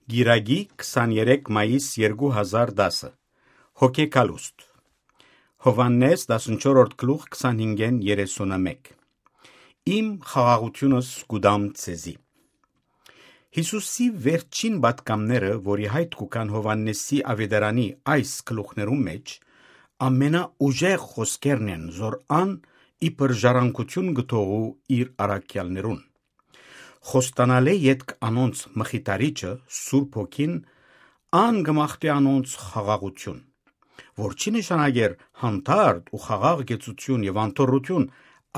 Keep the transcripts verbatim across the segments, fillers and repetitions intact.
Կիրակի, քսաներեք մայիս երկու հազար տասը։ Հոգեկալուստ։ Յովհաննէս, տասնչորրորդ գլուխ, քսանհինգէն երեսունմեկ։ Իմ խաղաղութիւնս կու տամ ձեզի։ Յիսուսի վերջին պատգամները, որի յայտ կու գան Յովհաննէսի աւետարանի այս գլուխներուն մէջ, ամենաուժեղ խօսքերն են, զոր ան իբր ժառանգութիւն կը թողու իր առաքեալներուն։ Խոստանալէ ետք անոնց մխիթարիչը, Սուրբ Հոգին, ան կը մաղթէ անոնց խաղաղութիւն, որ չի նշանակեր հանդարտ ու խաղաղ կեցութիւն եւ անդորրութիւն,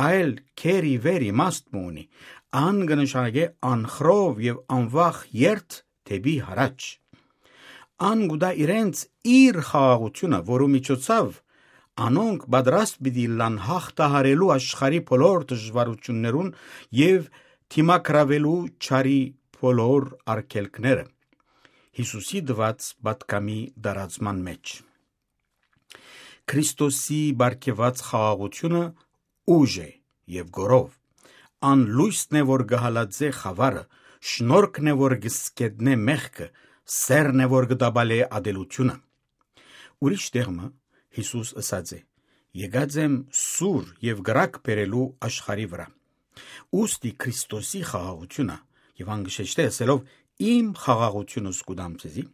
այլ քեր ի վեր իմաստ մը ունի։ Ան կը նշանակէ անխռով եւ անվախ երթ դէպի յառաջ։ Ան կու տայ իրենց իր խաղաղութիւնը, որու միջոցաւ անոնք պատրաստ պիտի ըլլան յաղթահարելու աշխարհի բոլոր դժուարութիւններուն եւ դիմագրաւելու չարի բոլոր արգելքները Յիսուսի տուած պատգամի տարածման մէջ։ Քրիստոսի պարգեւած խաղաղութիւնը ուժ է եւ գորով։ Ան լոյսն է, որ կը հալածէ խաւարը, շնորհքն է, որ կը սկետնէ մեղքը, սէրն է, որ կը տապալէ ատելությունը։ Ուրիշ տեղ մը Յիսուս ըսած է. «Եկած եմ սուր եւ կրակ բերելու աշխարհի վրայ»։ Ուստի Քրիստոսի խաղաղութիւնը, եւ ան կը շեշտէ ըսելով. «Իմ խաղաղութիւնս կու տամ ձեզի»։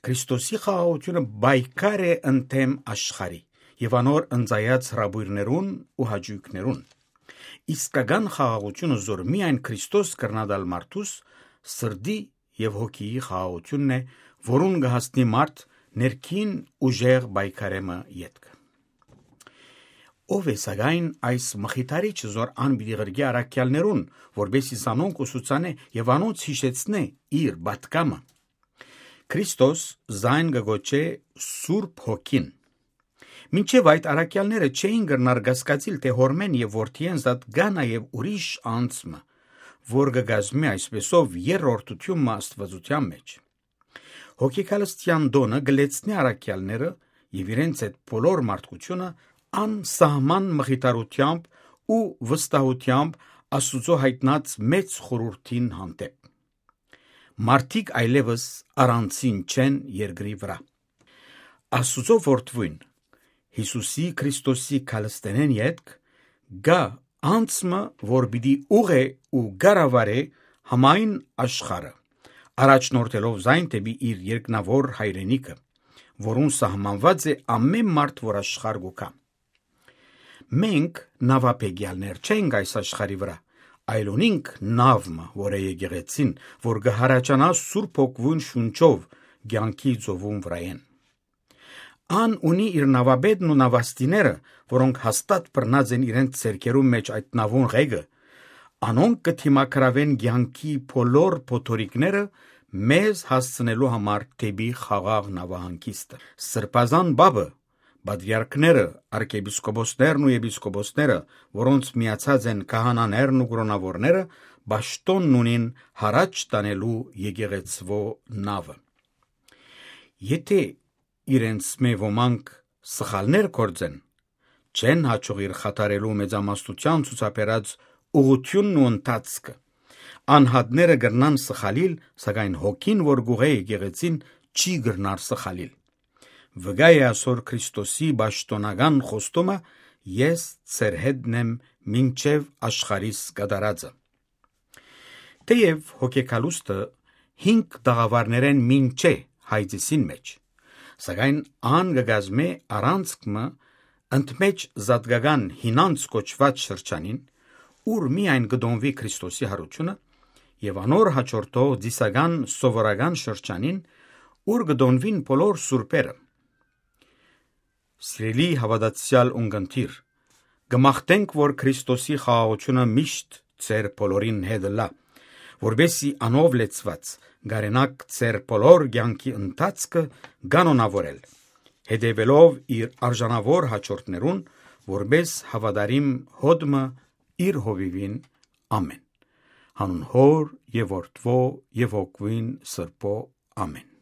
Քրիստոսի խաղաղութիւնը պայքար է ընդդէմ աշխարհի եւ անոր ընծայած հրապոյրներուն ու հաճոյքներուն։ Իսկական խաղաղութիւնը, զոր միայն Քրիստոս կրնայ տալ մարդուս, սրտի եւ հոգիի խաղաղութիւնն է, որուն կը հասնի մարդ ներքին ուժեղ պայքարէ մը ետք։ Ո՞վ է, սակայն, այս մխիթարիչը, զոր ան պիտի ղրկէ առաքեալներուն, որպէս զի զանոնք ուսուցանէ եւ անոնց յիշեցնէ իր պատգամը։ Քրիստոս զայն կը կոչէ Սուրբ Հոգին։ Մինչեւ այդ առաքեալները չէին կրնար կասկածիլ թէ Հօրմէն եւ Որդիէն զատ կայ նաեւ ուրիշ անձ մը, որ կը կազմի այսպեսով երրորդութիւն մը Աստուածութեան մէջ։ Հոգեկալստեան տօնը կը լեցնի առաքեալները եւ իրենց հետ բոլոր մարդկութիւնը անսահման մխիթարութեամբ ու վստահութեամբ Աստուծոյ յայտնած մեծ խորհուրդին հանդէպ։ Մարդիկ այլեւս առանցին չեն երկրի վրայ։ Աստուծոյ որդւոյն, Յիսուսի Քրիստոսի քալստենէն ետք, կայ անձ մը, որ պիտի ուղղէ ու կառավարէ համայն աշխարհը, առաջնորդելով զայն դէպի իր երկնաւոր հայրենիքը, որուն սահմանուած է ամէն մարդ, որ աշխարհ կու գայ։ Մենք նաւաբեկեալներ չենք այս աշխարհի վրայ, այլ ունինք նաւ մը, որ է եկեղեցին, որ կը յառաջանայ Սուրբ Հոգիին շունչով կեանքի ծովուն վրայէն։ Ան ունի իր նաւապետն ու նաւաստիները, որոնք հաստատ բռնած են իրենց ձեռքերուն մէջ այդ նաւուն ղեկը, անոնք կը դիմագրաւեն կեանքի բոլոր փոթորիկները մեզ հասցնելու համար դէպի խաղաղ նաւահանգիստը։ Սրբազան Պապը, պատրիարքները, արքեպիսկոպոսներն ու եպիսկոպոսները, որոնց միացած են քահանաներն ու կրոնաւորները, պաշտոնն ունին յառաջ տանելու եկեղեցւոյ նաւը։ Եթէ իրենցմէ ոմանք սխալներ գործեն, չեն յաջողիր խաթարելու մեծամասնութեան ցուցաբերած ուղղութիւնն ու ընթացքը։ Անհատները կրնան սխալիլ, սակայն հոգին, որ կուղղէ եկեղեցին, չի կրնար սխալիլ։ Վկայ է ասոր Քրիստոսի պաշտոնական խոստումը. «Ես ձեր հետն եմ մինչեւ աշխարհիս կատարածը»։ Թէեւ հոգեկալուստը հինգ տաղաւարներէն մինչ է հայցիսին մէջ, սակայն ան կը կազմէ առանցք մը ընդմէջ զատկական հինանց կոչուած շրջանին, ուր միայն կը տոնուի Քրիստոսի յարութիւնը, եւ անոր յաջորդող ծիսական սովորական շրջանին, ուր կը տոնուին բոլոր սուրբերը։ Սիրելի հաւատացեալ ունկնդիր, կը մաղթենք, որ Քրիստոսի խաղաղութիւնը միշտ ձեր բոլորին հետ ըլլայ, որպէս զի անով լեցուած կարենաք ձեր բոլոր կեանքի ընթացքը կանոնաւորել, հետեւելով իր արժանաւոր յաջորդներուն, որպէս հաւատարիմ հոտ մը իր հովիւին։ Ամէն։ Յանուն Հօր եւ Որդւոյ եւ Հոգիին Սրբոյ։ Ամէն։